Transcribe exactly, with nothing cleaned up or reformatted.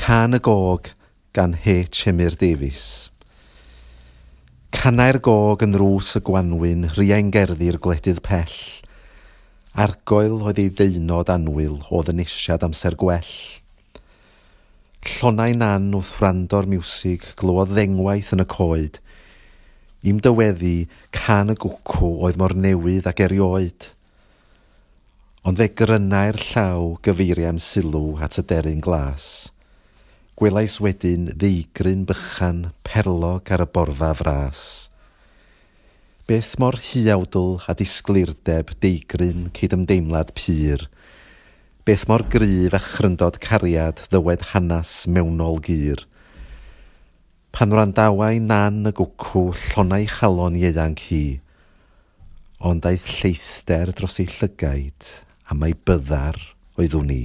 Cân y Gog gan H. Emyr Davies. Canai'r gog yn nrws y gwanwyn, riain gerddi'r gwledydd pell. Argoel oedd ei ddeunod annwyl o ddynesiad amser gwell. Llonau Nan wrth wrando'r miwsig glywodd ddengwaith yn y coed. I'm dyweddi, cân y gwcw oedd mor newydd ag erioed. Ond fe grynai'r llaw gyfeiriam sylw at y deryn glas. Gwelais wedyn ddeigryn bychan perlog ar y borfa fras. Beth mor huawdl a disgleirdeb deigryn cydymdeimlad pur. Beth mor gryf a chryndod cariad ddywed hanes mewnol gur. Pan wrandawai Nan y gwcw llonnai chalon ieuanc hi, ond aeth lleithder dros ei llygaid a mai byddar oeddwn i.